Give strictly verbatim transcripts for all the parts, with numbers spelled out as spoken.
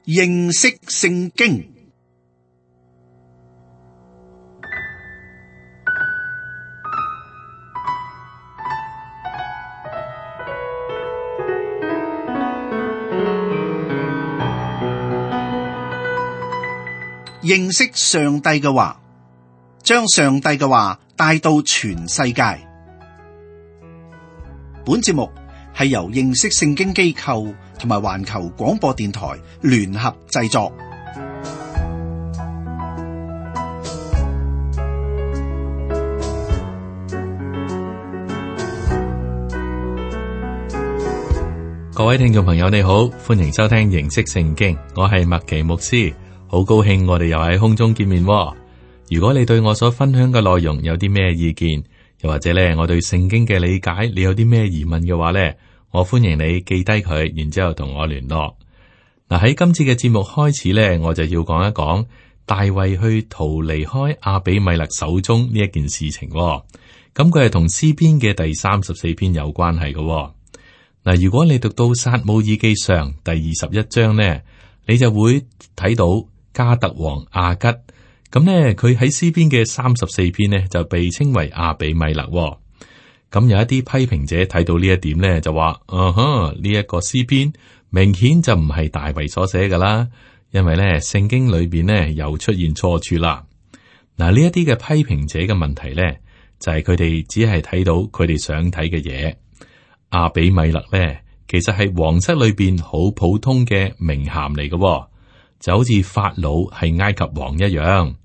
認識聖經。認識上帝嘅話，將上帝嘅話帶到全世界。本節目係由認識聖經機構同埋環球廣播電台聯合製作。各位聽眾朋友，你好，歡迎收聽認識聖經，我係麥奇牧師。好高興我哋又喺空中見面喎。如果你對我所分享嘅內容有啲咩意見，又或者咧我對聖經嘅理解，你有啲咩疑問嘅話咧，我歡迎你記低佢，然之後同我聯絡。嗱，喺今次嘅節目開始咧，我就要講一講大衛去逃離開亞比米勒手中呢一件事情喎。咁佢係同詩篇嘅第三十四篇有關係嘅喎。嗱，如果你讀到撒母耳記上第二十一章咧，你就會睇到加特王亞吉，咁呢，佢喺詩篇嘅三十四篇呢就被稱為亞比米勒。咁有一啲批評者睇到呢一點呢，就話：嗯哼，呢一個詩篇明顯就唔係大衛所寫噶啦，因為呢聖經裏邊呢又出現錯處啦。嗱，呢一啲嘅批評者嘅問題呢，就係佢哋只係睇到佢哋想睇嘅嘢。亞比米勒呢，其實係皇室裏邊好普通嘅名銜嚟嘅。就好似法老係埃及王一樣。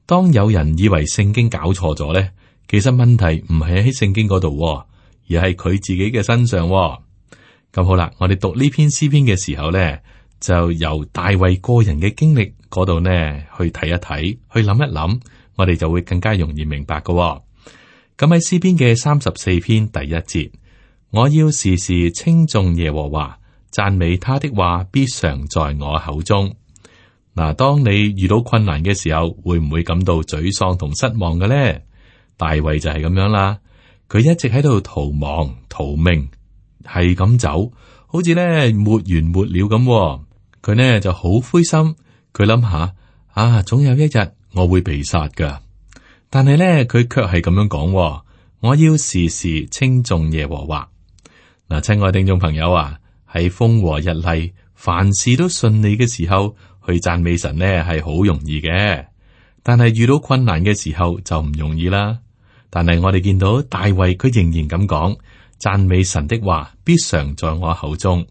當有人以為聖經搞錯咗咧，其實問題唔係喺聖經嗰度，而係佢自己嘅身上。咁好啦，我哋讀呢篇詩篇嘅時候咧，就由大衛個人嘅經歷嗰度呢去睇一睇，去諗一諗，我哋就會更加容易明白嘅。咁喺詩篇嘅三十四篇第一節，我要時時稱頌耶和華，讚美他的話必常在我口中。嗱，當你遇到困難嘅時候，會唔會感到沮喪同失望嘅咧？大衛就係咁樣啦，佢一直喺度逃亡逃命，係咁走，好似咧沒完沒了咁。佢呢就好灰心，佢諗下啊，總有一日我會被殺噶。但係咧，佢卻係咁樣講：我要時時稱頌耶和華。嗱，親愛聽眾朋友啊，喺風和日麗、凡事都順利嘅時候，去讚美神呢係好容易嘅，但係遇到困難嘅時候就唔容易啦。但係我哋見到大衛佢仍然咁講，讚美神的話必常在我口中。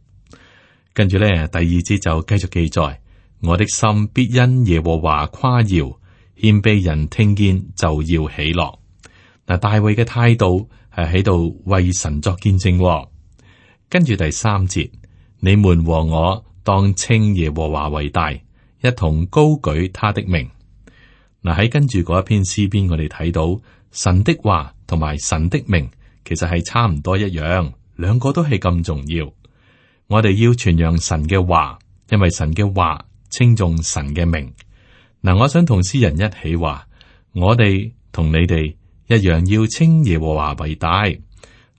跟住呢，第二節就繼續記載：我的心必因耶和華誇耀，謙卑人聽見就要喜樂。嗱，大衛嘅態度係喺度為神作見證。跟住第三節，你們和我當稱耶和華為大，一同高舉他的名。嗱，喺跟住嗰一篇詩篇，我哋睇到神的話同埋神的名，其實係差唔多一樣，兩個都係咁重要。我哋要傳揚神嘅話，因為神嘅話稱頌神嘅名。嗱，我想同詩人一起話，我哋同你哋一樣要稱耶和華為大。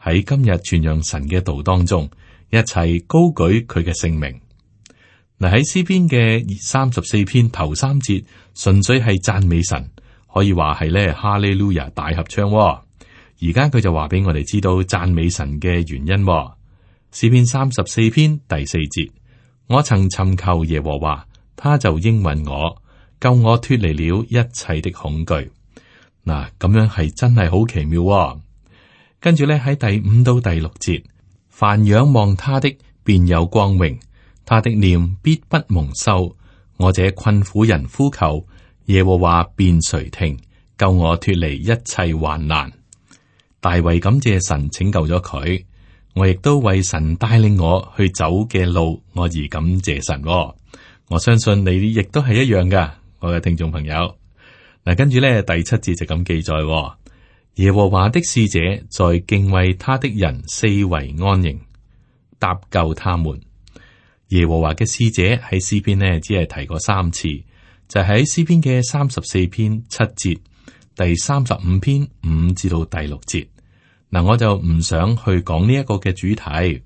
喺今日傳揚神嘅道當中，一齊高舉佢嘅聖名。嗱，喺詩篇嘅三十四篇頭三節，純粹係讚美神，可以話係咧哈利路亞大合唱。而家佢就話俾我哋知道讚美神嘅原因。詩篇三十四篇第四節，我曾尋求耶和華，他就應允我，救我脫離了一切的恐懼。嗱，咁樣係真係好奇妙。跟住咧喺第五到第六節，凡仰望他的便有光榮，他的臉必不蒙羞。我這困苦人呼求耶和華，便垂聽，救我脫離一切患難。大衛感謝神拯救咗佢，我亦都為神帶領我去走嘅路，我而感謝神。我相信你亦都係一樣噶，我嘅聽眾朋友。嗱，跟住咧第七節就咁記載：耶和華的使者在敬畏他的人四圍安營，搭救他們。耶和華嘅使者喺詩篇呢，只係提過三次，就喺、是、詩篇嘅三十四篇七節、第三十五篇五至到第六節。嗱，我就唔想去講呢一個嘅主題，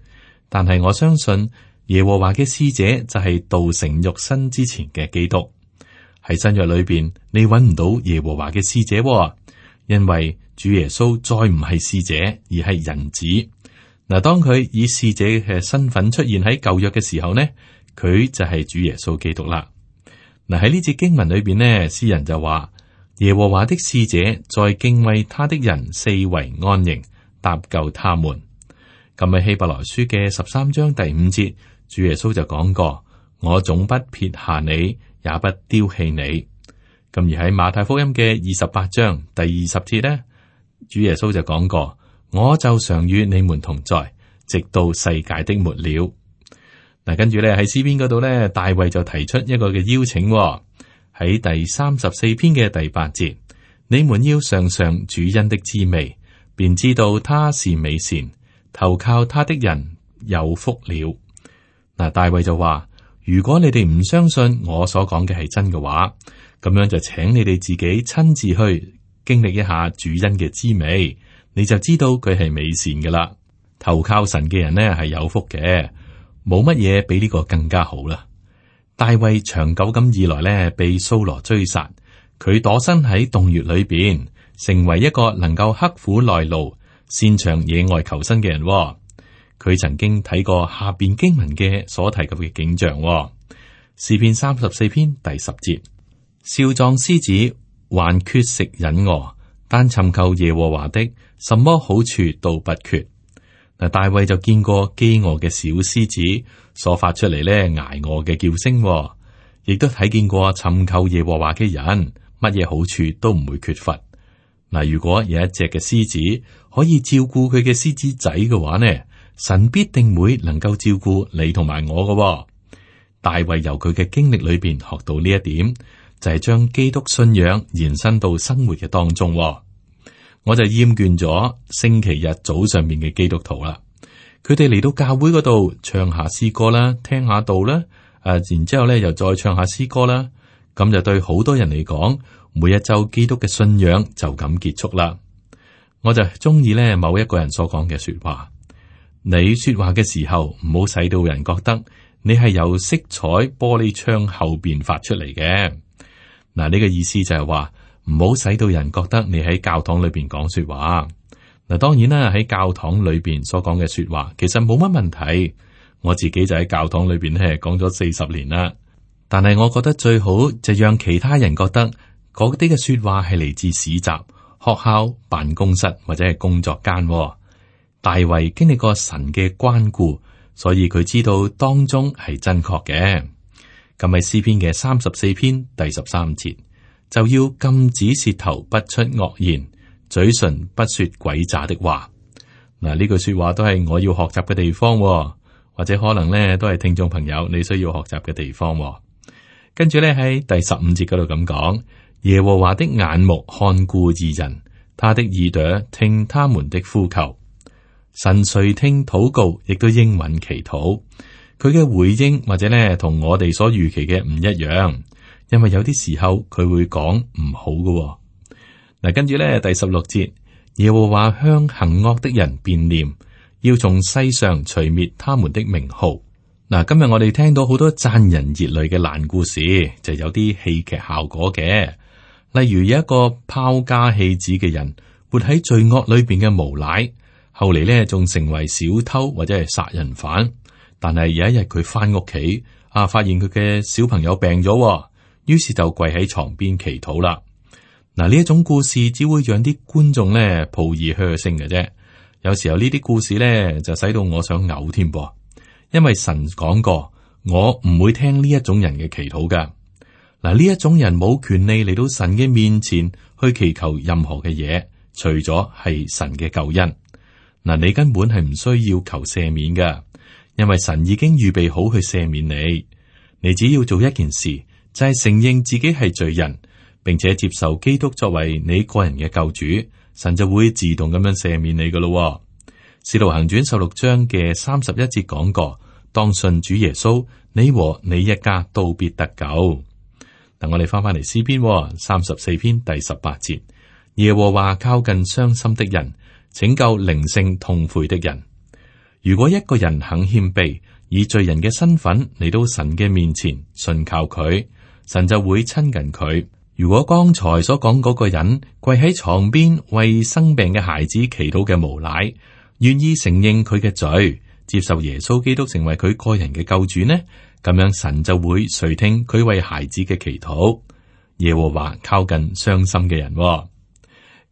但係我相信耶和華嘅使者就係道成肉身之前嘅基督。喺新約裏邊，你揾唔到耶和華嘅使者，因為主耶穌再唔係使者，而係人子。嗱，當佢以使者嘅身份出現喺舊約嘅時候呢，佢就係主耶穌基督啦。嗱，喺呢節經文裏邊呢，詩人就話耶和華的使者在敬畏他的人四圍安營，搭救他們。咁喺希伯來書嘅十三章第五節，主耶穌就講過：我總不撇下你，也不丟棄你。咁而喺馬太福音嘅二十八章第二十節呢，主耶穌就講過：我就常與你們同在，直到世界的末了。嗱，跟住咧喺詩篇嗰度咧，大衛就提出一個嘅邀請喎，喺第三十四篇嘅第八節，你們要嘗嘗主恩的滋味，便知道他是美善，投靠他的人有福了。嗱，大衛就話：如果你哋唔相信我所講嘅係真嘅話，咁樣就請你哋自己親自去經歷一下主恩嘅滋味，你就知道佢係美善噶啦。投靠神嘅人呢係有福嘅。冇乜嘢比呢個更加好啦。大衛長久咁以來呢，被掃羅追殺，佢躲身喺洞穴裏邊，成為一個能夠刻苦耐勞、擅長野外求生嘅人。佢曾經睇過下邊經文嘅所提及嘅景象。詩篇三十四篇第十節：少壯獅子還缺食忍餓，但尋求耶和華的，什麼好處都不缺。嗱，大衛就見過飢餓嘅小獅子所發出嚟咧挨餓嘅叫聲，亦都睇見過尋求耶和華嘅人，乜嘢好處都唔會缺乏。嗱，如果有一隻嘅獅子可以照顧佢嘅獅子仔嘅話呢，神必定會能夠照顧你同埋我嘅。大衛由佢嘅經歷裏邊學到呢一點，就係將基督信仰延伸到生活嘅當中。我就厭倦咗星期日早上面嘅基督徒啦，佢哋嚟到教會嗰度唱下詩歌啦，聽下道啦，誒、啊，然之後咧又再唱下詩歌啦，咁就對好多人嚟講，每一周基督嘅信仰就咁結束啦。我就中意咧某一個人所講嘅說話，你說話嘅時候唔好使到人覺得你係由色彩玻璃窗後邊發出嚟嘅。嗱，呢個意思就係話，唔好使到人覺得你喺教堂裏邊講說話。嗱，當然啦，喺教堂裏邊所講嘅說話，其實冇乜問題。我自己就喺教堂裏邊咧講咗四十年啦。但係我覺得最好就讓其他人覺得嗰啲嘅說話係嚟自市集、學校、辦公室或者係工作間。大衛經歷過神嘅關顧，所以佢知道當中係真確嘅。咁喺詩篇嘅三十四篇第十三節，就要禁止舌頭不出惡言，嘴唇不說詭詐的話。嗱，呢句說話都係我要學習嘅地方，或者可能咧都係聽眾朋友你需要學習嘅地方。跟住咧喺第十五節嗰度咁講，耶和華的眼目看顧義人，他的耳朵聽他們的呼求。神垂聽禱告，亦都應允祈禱。佢嘅回應或者咧同我哋所預期嘅唔一樣。因為有啲時候佢會講唔好嘅。嗱，跟住咧第十六節，耶和華向行惡的人變臉，要從世上除滅他們的名號。嗱，今日我哋聽到好多賺人熱淚嘅爛故事，就有啲戲劇效果嘅。例如有一個拋家棄子嘅人，活喺罪惡裏邊嘅無賴，後嚟咧仲成為小偷或者係殺人犯。但係有一日佢翻屋企啊，發現佢嘅小朋友病咗。於是就跪喺床邊祈禱啦。嗱，呢一種故事只會讓啲觀眾咧抱以噓聲嘅啫。有時候呢啲故事咧就使到我想嘔添噃，因為神講過，我唔會聽呢一種人嘅祈禱噶。嗱，呢一種人冇權利嚟到神嘅面前去祈求任何嘅嘢，除咗係神嘅救恩。嗱，你根本係唔需要求赦免噶，因為神已經預備好去赦免你。你只要做一件事，就係承認自己係罪人，並且接受基督作為你個人嘅救主，神就會自動咁樣赦免你噶咯。使徒行傳十六章嘅三十一節講過，當信主耶穌，你和你一家都必得救。嗱，我哋翻翻嚟詩篇三十四篇第十八節，耶和華靠近傷心的人，拯救靈性痛悔的人。如果一個人肯謙卑，以罪人嘅身份嚟到神嘅面前信靠佢，神就會親近佢。如果剛才所講嗰個人跪喺床邊為生病嘅孩子祈禱嘅無賴，願意承認佢嘅罪，接受耶穌基督成為佢個人嘅救主呢，咁樣神就會垂聽佢為孩子嘅祈禱。耶和華靠近傷心嘅人。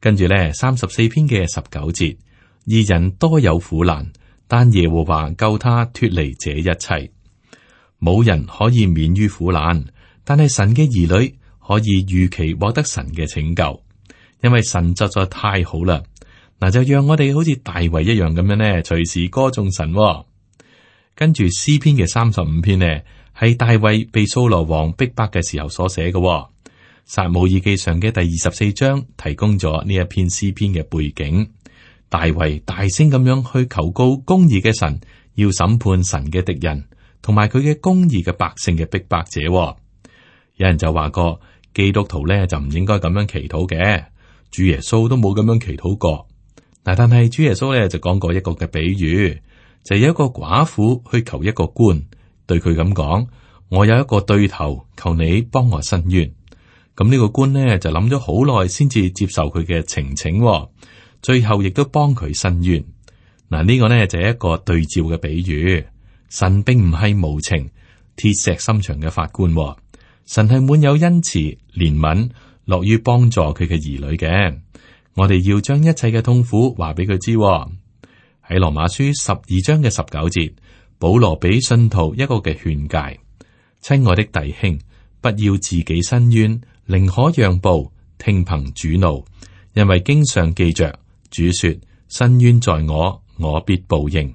跟住咧，三十四篇嘅十九節，義人多有苦難，但耶和華救他脫離這一切。冇人可以免於苦難，但係神嘅兒女可以預期獲得神嘅拯救，因為神實在太好啦。嗱，就讓我哋好似大衛一樣咁樣呢，隨時歌頌神。跟住詩篇嘅三十五篇呢，係大衛被掃羅王逼迫嘅時候所寫嘅。撒母耳記上嘅第二十四章提供咗呢一篇詩篇嘅背景。大衛大聲咁樣去求告公義嘅神，要審判神嘅敵人，同埋佢嘅公義嘅百姓嘅逼迫者。有人就話過，基督徒咧就唔應該咁樣祈禱嘅，主耶穌都冇咁樣祈禱過。嗱，但係主耶穌咧就講過一個嘅比喻，就有一個寡婦去求一個官，對佢咁講：我有一個對頭，求你幫我伸冤。咁呢個官呢，就諗咗好耐，先至接受佢嘅情請，最後亦都幫佢伸冤。嗱，呢個呢，就係一個對照嘅比喻。神並唔係無情、鐵石心腸嘅法官，神係滿有恩慈、憐憫，樂於幫助佢嘅兒女嘅。我哋要將一切嘅痛苦話俾佢知。喺羅馬書十二章嘅十九節，保羅俾信徒一個嘅勸誡：親愛的弟兄，不要自己伸冤，寧可讓步，聽憑主怒，因為經上記着，主說：伸冤在我，我必報應。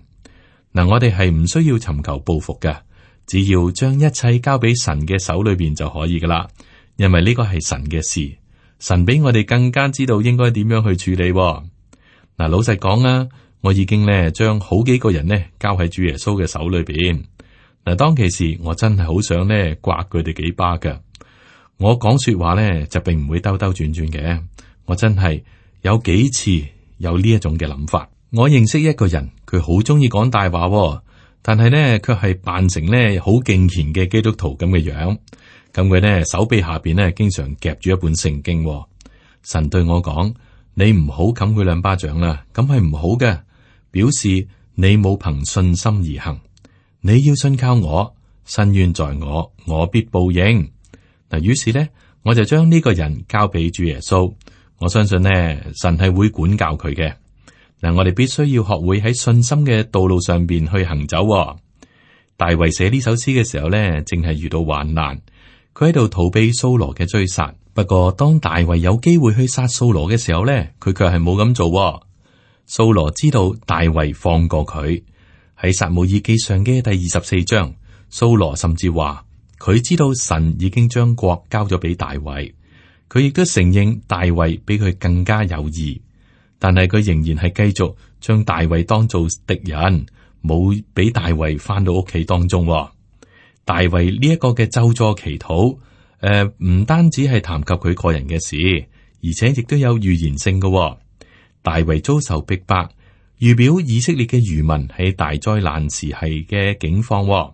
嗱，我哋係唔需要尋求報復嘅，只要將一切交俾神嘅手裏邊就可以噶啦。因為呢個係神嘅事，神比我哋更加知道應該點樣去處理。嗱，老實講啊，我已經咧將好幾個人呢交喺主耶穌嘅手裏邊。嗱，當其時我真係好想呢刮佢哋幾巴噶。我講說話咧就並唔會兜兜轉轉嘅，我真係有幾次有呢一種嘅諗法。我認識一個人，佢好中意講大話，但係咧卻係扮成咧好敬虔嘅基督徒咁嘅樣。咁佢咧手臂下邊咧經常夾住一本聖經。神對我講：你唔好冚佢兩巴掌啦，咁係唔好嘅，表示你冇憑信心而行。你要信靠我，伸冤在我，我必報應。嗱，於是咧，我就將呢個人交俾主耶穌。我相信呢，神係會管教佢嘅。嗱，我哋必須要學會喺信心嘅道路上邊去行走。大衛寫呢首詩嘅時候咧，正係遇到患難，佢喺度逃避掃羅嘅追殺。不過當大衛有機會去殺掃羅嘅時候咧，佢卻係冇咁做。掃羅知道大衛放過佢，喺撒母耳記上嘅第二十四章，掃羅甚至話。佢知道神已經將國交咗俾大衛，佢亦都承認大衛比佢更加有義，但係佢仍然係繼續將大衛當做敵人，冇俾大衛翻到屋企當中。大衛呢一個嘅咒詛祈禱，誒、呃，唔單止係談及佢個人嘅事，而且亦都有預言性嘅。大衛遭受逼迫，預表以色列嘅餘民喺大災難時係嘅境況。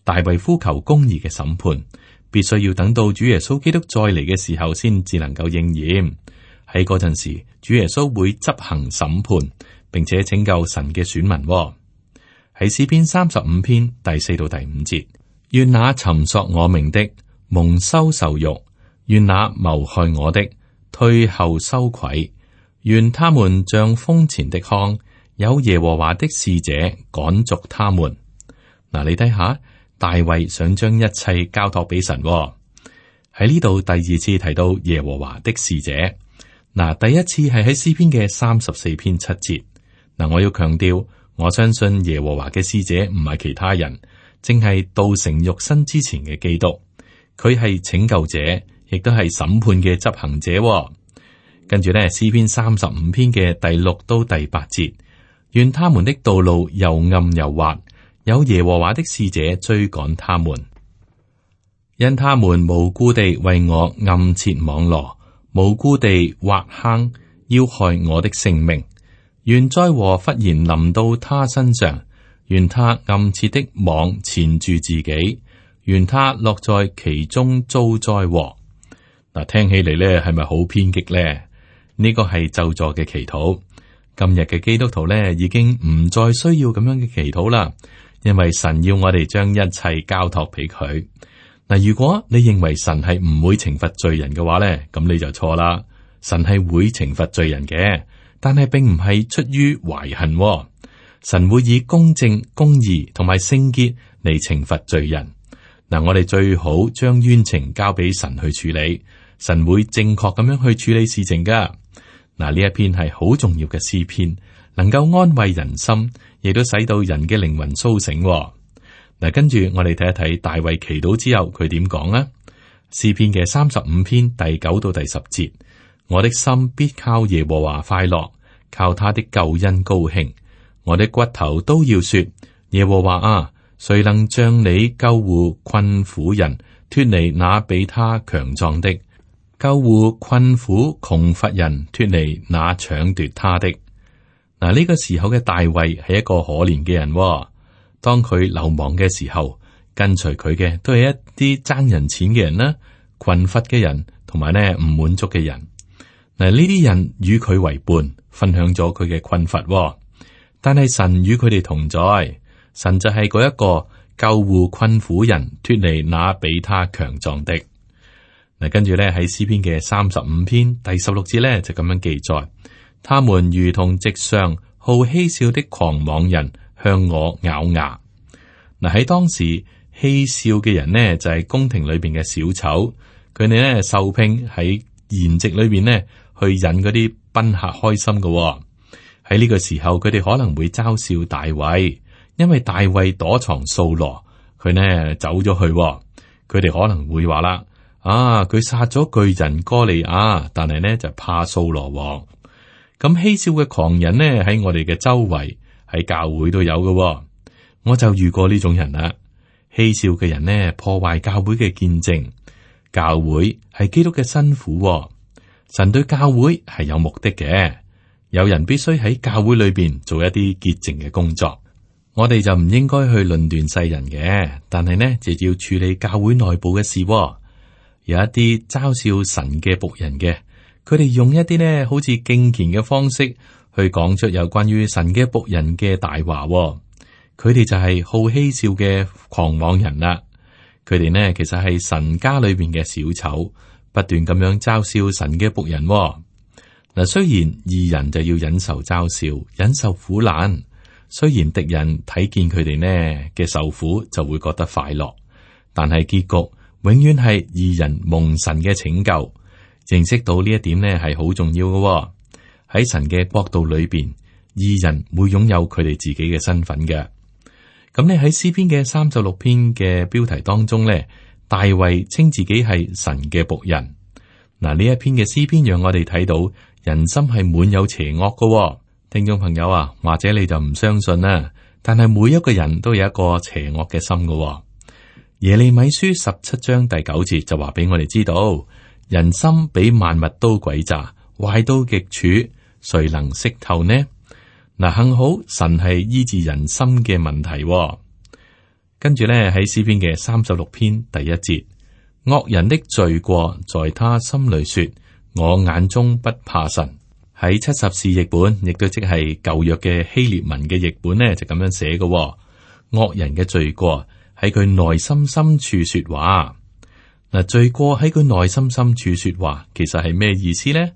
大衛呼求公義嘅審判，必須要等到主耶穌基督再嚟嘅時候，先至能夠應驗。喺嗰陣時，主耶穌會執行審判，並且拯救神嘅選民。喺詩篇三十五篇第四到第五節，願那尋索我命的蒙羞受辱，願那謀害我的退後羞愧，願他們像風前的糠，有耶和華的使者趕逐他們。嗱，你睇下。大衛想將一切交託俾神。喺呢度第二次提到耶和華的使者。嗱，第一次係喺詩篇嘅三十四篇七節。嗱，我要強調，我相信耶和華嘅使者唔係其他人，正係道成肉身之前嘅基督。佢係拯救者，亦都係審判嘅執行者。跟住咧，詩篇三十五篇嘅第六到第八節，願他們的道路又暗又滑。有耶和華的使者追趕他們，因他們無故地為我暗設網羅，無故地挖坑，要害我的性命。願災禍忽然臨到他身上，願他暗設的網纏住自己，願他落在其中遭災禍。嗱，聽起嚟咧係咪好偏激咧？呢個係咒詛嘅祈禱。今日嘅基督徒咧已經唔再需要咁樣嘅祈禱啦，因為神要我哋將一切交託俾佢。嗱，如果你認為神係唔會懲罰罪人嘅話咧，咁你就錯啦。神係會懲罰罪人嘅，但係並唔係出於懷恨。神會以公正、公義同埋聖潔嚟懲罰罪人。嗱，我哋最好將冤情交俾神去處理，神會正確咁樣去處理事情噶。嗱，呢一篇係好重要嘅詩篇，能夠安慰人心，亦都使到人嘅靈魂蘇醒。嗱，跟住我哋睇一睇大衛祈禱之後佢點講啊？詩篇嘅三十五篇第九到第十節，我的心必靠耶和華快樂，靠他的救恩高興。我的骨頭都要說：耶和華啊，誰能將你救護困苦人，脫離那比他強壯的？救護困苦窮乏人，脫離那搶奪他的。嗱，呢個時候嘅大衛係一個可憐嘅人。當佢流亡嘅時候，跟隨佢嘅都係一啲爭人錢嘅人啦，困乏嘅人，同埋呢唔滿足嘅人。嗱，呢啲人與佢為伴，分享咗佢嘅困乏。但係神與佢哋同在，神就係嗰一個救護困苦人，脫離那比他強壯的。嗱，跟住咧喺詩篇嘅三十五篇第十六節咧就咁樣記載：他們如同席上好嬉笑的狂妄人，向我咬牙。嗱，喺當時嬉笑嘅人呢，就係宮廷裏邊嘅小丑，佢哋咧受聘喺筵席裏邊呢，去引嗰啲賓客開心嘅。喺呢個時候，佢哋可能會嘲笑大衛，因為大衛躲藏掃羅，佢呢走咗去。佢哋可能會話啦：啊，佢殺咗巨人哥利亞，但係呢就怕掃羅王。咁嬉笑嘅狂人呢，喺我哋嘅周圍，喺教會都有嘅。我就遇過呢種人啦。嬉笑嘅人呢，破壞教會嘅見證。教會係基督嘅新婦，神對教會係有目的嘅。有人必須喺教會裏邊做一啲潔淨嘅工作。我哋就唔應該去論斷世人嘅，但係呢就要處理教會內部嘅事。有一啲嘲笑神嘅僕人嘅，佢哋用一啲呢好似敬虔嘅方式去講出有關於神嘅僕人嘅大話。佢哋就係好嬉笑嘅狂妄人啦。佢哋呢其實係神家裏邊嘅小丑，不斷咁樣嘲笑神嘅僕人。嗱，雖然義人就要忍受嘲笑，忍受苦難，雖然敵人睇見佢哋呢嘅受苦就會覺得快樂，但係結局永遠係義人蒙神嘅拯救。認識到呢一點呢係好重要嘅。喺神嘅國度裏邊，義人會擁有佢哋自己嘅身份嘅。咁你喺詩篇嘅三十六篇嘅標題當中呢，大衛稱自己係神嘅僕人。嗱，呢一篇嘅詩篇讓我哋睇到人心係滿有邪惡嘅。聽眾朋友啊，或者你就唔相信啦，但係每一個人都有一個邪惡嘅心嘅。耶利米書十七章第九節就話俾我哋知道，人心比萬物都詭詐，壞到極處，誰能識透呢？嗱，幸好神係醫治人心嘅問題。跟住咧喺詩篇嘅三十六篇第一節，惡人的罪過在他心裏說，我眼中不怕神。喺七十士譯本，亦都即係舊約嘅希臘文嘅譯本呢，就咁樣寫嘅。惡人嘅罪過喺佢內心深處說話。嗱，罪過喺佢內心深處說話，其實係咩意思呢？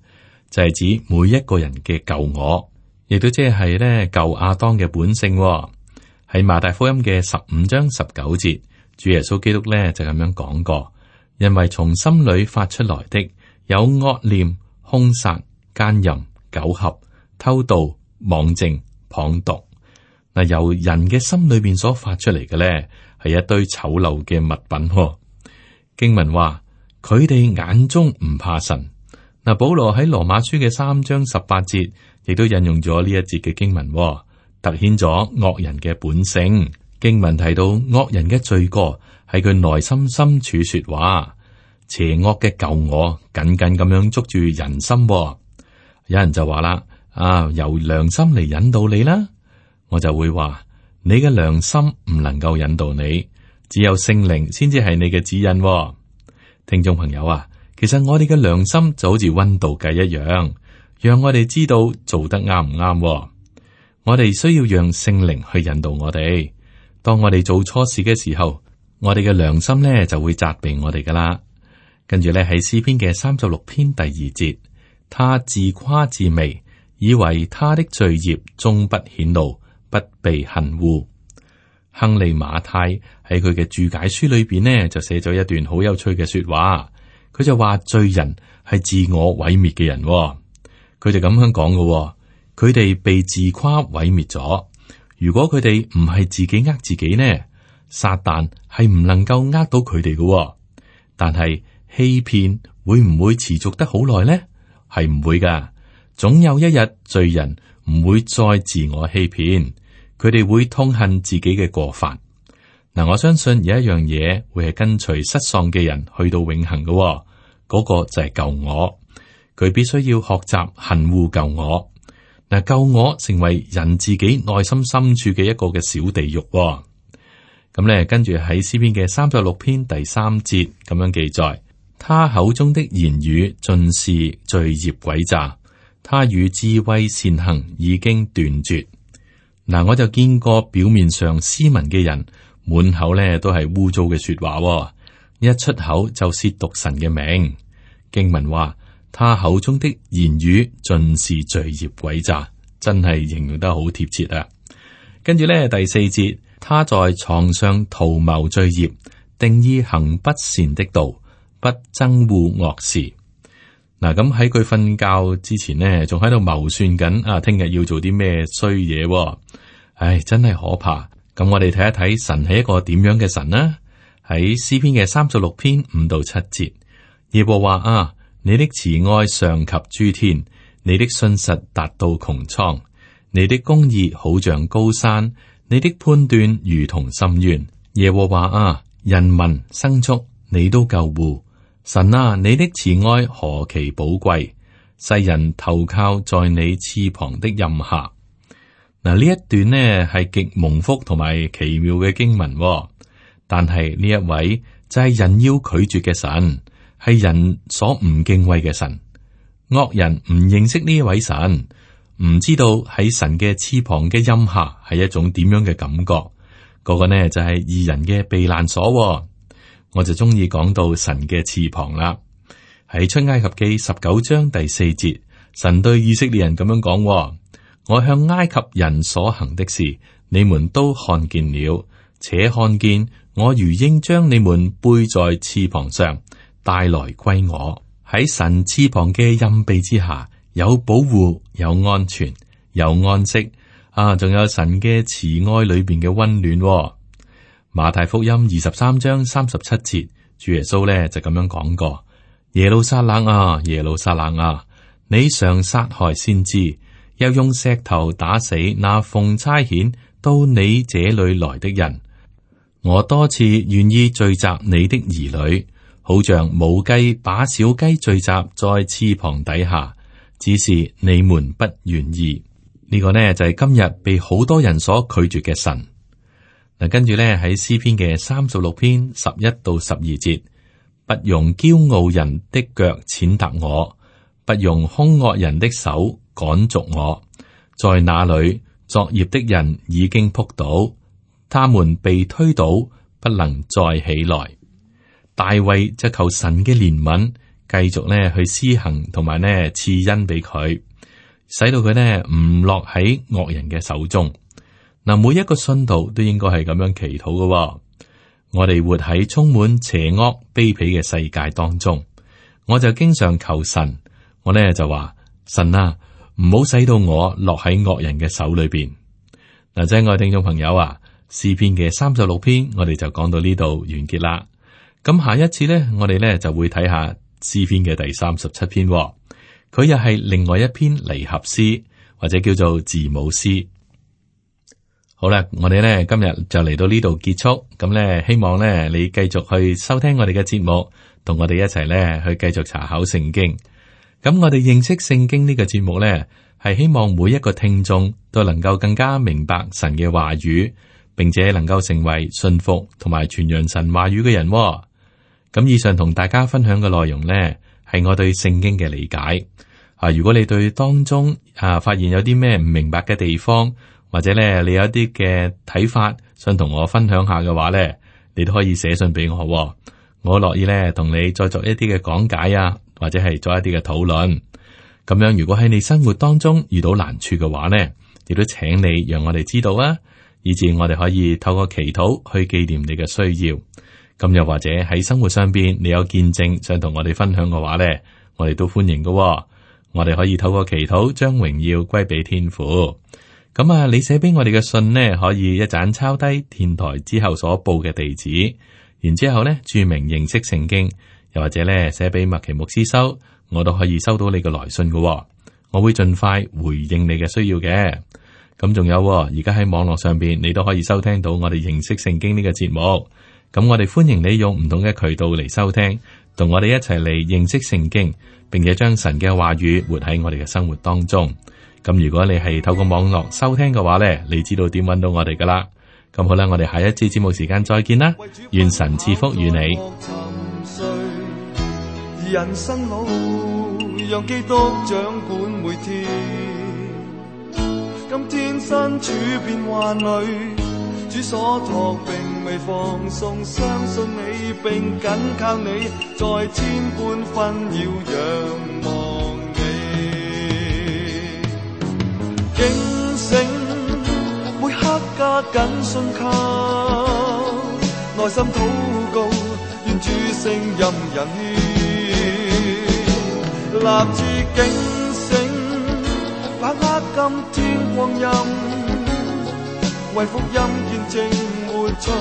就係、是、指每一個人嘅舊我，亦都即係咧舊亞當嘅本性。喺馬太福音嘅十五章十九節，主耶穌基督咧就咁樣講過，因為從心裏發出來的有惡念、兇殺、奸淫、苟合、偷盜、妄證、謗讟。嗱，由人嘅心裏邊所發出嚟嘅咧，係一堆醜陋嘅物品。經文話佢哋眼中唔怕神。嗱，保羅喺羅馬書嘅三章十八節，亦都引用咗呢一節嘅經文，凸顯咗惡人嘅本性。經文提到惡人嘅罪過喺佢內心深處說話，邪惡嘅舊我緊緊咁樣捉住人心。有人就話啦，啊，由良心嚟引導你啦，我就會話你嘅良心唔能夠引導你，只有聖靈先至係你嘅指引喎。聽眾朋友啊，其實我哋嘅良心就好似溫度計一樣，讓我哋知道做得啱唔啱喎。我哋需要讓聖靈去引導我哋。當我哋做錯事嘅時候，我哋嘅良心咧就會責備我哋噶啦。跟住咧喺詩篇嘅三十六篇第二節，他自誇自媚，以為他的罪孽終不顯露，不被恨惡。亨利馬太喺佢嘅注解書裏邊呢，就寫咗一段好有趣嘅說話。佢就話罪人係自我毀滅嘅人，佢就咁樣講嘅。佢哋被自誇毀滅咗。如果佢哋唔係自己呃自己呢，撒旦係唔能夠呃到佢哋嘅。但係欺騙會唔會持續得好耐呢？係唔會噶。總有一日罪人唔會再自我欺騙，佢哋會痛恨自己嘅過犯。嗱，我相信有一樣嘢會係跟隨失喪嘅人去到永恆嘅，嗰個就係舊我。佢必須要學習恨惡舊我。嗱，舊我成為人自己內心深處嘅一個嘅小地獄。咁咧，跟住喺詩篇嘅三十六篇第三節咁樣記載，他口中的言語盡是罪孽詭詐，他與智慧善行已經斷絕。嗱，我就見過表面上斯文嘅人，滿口咧都係污糟嘅說話，一出口就褻瀆神嘅名。經文話，他口中的言語盡是罪孽詭詐，真係形容得好貼切啊！跟住咧第四節，他在床上圖謀罪孽，定意行不善的道，不憎惡惡事。嗱，咁喺佢瞓覺之前呢，仲喺度謀算緊啊，聽日要做啲咩衰嘢？唉，真係可怕。咁我哋睇一睇神係一個點樣嘅神呢？喺詩篇嘅三十六篇五到七節，耶和華啊，你的慈愛上及諸天，你的信實達到穹蒼，你的公義好像高山，你的判斷如同深淵。耶和華啊，人民牲畜你都救護。神啊，你的慈愛何其寶貴，世人投靠在你翅膀的蔭下。嗱，呢一段呢係極蒙福同埋奇妙嘅經文，但係呢一位就係人要拒絕嘅神，係人所唔敬畏嘅神。惡人唔認識呢一位神，唔知道喺神嘅翅膀嘅蔭下係一種點樣嘅感覺。嗰個呢就係義人嘅避難所。我就中意講到神嘅翅膀啦。喺出埃及記十九章第四節，神對以色列人咁樣講：我向埃及人所行的事，你們都看見了，且看見我如鷹將你們背在翅膀上帶來歸我。喺神翅膀嘅蔭庇之下，有保護，有安全，有安息啊！仲有神嘅慈愛裏邊嘅溫暖。馬太福音二十三章三十七節，主耶穌咧就咁樣講過：耶路撒冷啊，耶路撒冷啊，你常殺害先知，又用石頭打死那奉差遣到你這裏來的人。我多次願意聚集你的兒女，好像母雞把小雞聚集在翅膀底下，只是你們不願意。呢、這個呢就係、是、今日被好多人所拒絕嘅神。嗱，跟住咧喺詩篇嘅三十六篇十一到十二節，不用驕傲人的腳踐踏我，不用凶惡人的手趕逐我。在那裏作孽的人已經仆倒，他們被推倒，不能再起來。大衛就求神嘅憐憫，繼續咧去施行同埋咧賜恩俾佢，使到佢咧唔落喺惡人嘅手中。嗱，每一個信徒都應該係咁樣祈禱嘅。我哋活喺充滿邪惡卑鄙嘅世界當中，我就經常求神，我咧就話神啊，唔好使到我落喺惡人嘅手裏邊。嗱，親愛聽眾朋友啊，詩篇嘅三十六篇我哋就講到呢度完結啦。咁下一次咧，我哋咧就會睇下詩篇嘅第三十七篇，佢又係另外一篇離合詩或者叫做字母詩。好啦，我哋咧今日就嚟到呢度結束，咁咧希望咧你繼續去收聽我哋嘅節目，同我哋一齊咧去繼續查考聖經。咁我哋認識聖經呢個節目咧，係希望每一個聽眾都能夠更加明白神嘅話語，並且能夠成為信服同埋傳揚神話語嘅人。咁以上同大家分享嘅內容呢，係我對聖經嘅理解。啊，如果你對當中啊發現有啲咩唔明白嘅地方，或者咧你有一啲嘅睇法，想同我分享下嘅話咧，你都可以寫信俾我，我樂意咧同你再作一啲嘅講解啊，或者係做一啲嘅討論。咁樣如果喺你生活當中遇到難處嘅話咧，亦都請你讓我哋知道啊，以至我哋可以透過祈禱去紀念你嘅需要。咁又或者喺生活上邊你有見證想同我哋分享嘅話咧，我哋都歡迎嘅。我哋可以透過祈禱將榮耀歸俾天父。咁啊，你寫俾我哋嘅信呢，可以一盞抄低電台之後所報嘅地址，然之後呢注明認識聖經，又或者呢寫俾麥奇牧師收，我都可以收到你嘅來信嘅。我會盡快回應你嘅需要嘅。咁仲有，而家喺網絡上邊，你都可以收聽到我哋認識聖經呢個節目。咁我哋歡迎你用唔同嘅渠道嚟收聽，同我哋一齊嚟認識聖經，並且將神嘅話語活喺我哋嘅生活當中。咁如果你係透過網絡收聽嘅話呢，你知道點揾到我哋噶啦。咁好啦，我哋下一次節目時間再見啦，願神賜福與你。人生路讓基督掌管每天，今天身處變幻裏，主所託並未放鬆，相信你並緊靠你，在千般紛擾仰望你，警醒每刻加緊信靠，內心禱告，願主聲音引牽，立志警醒，把握今天光陰，為福音見證活出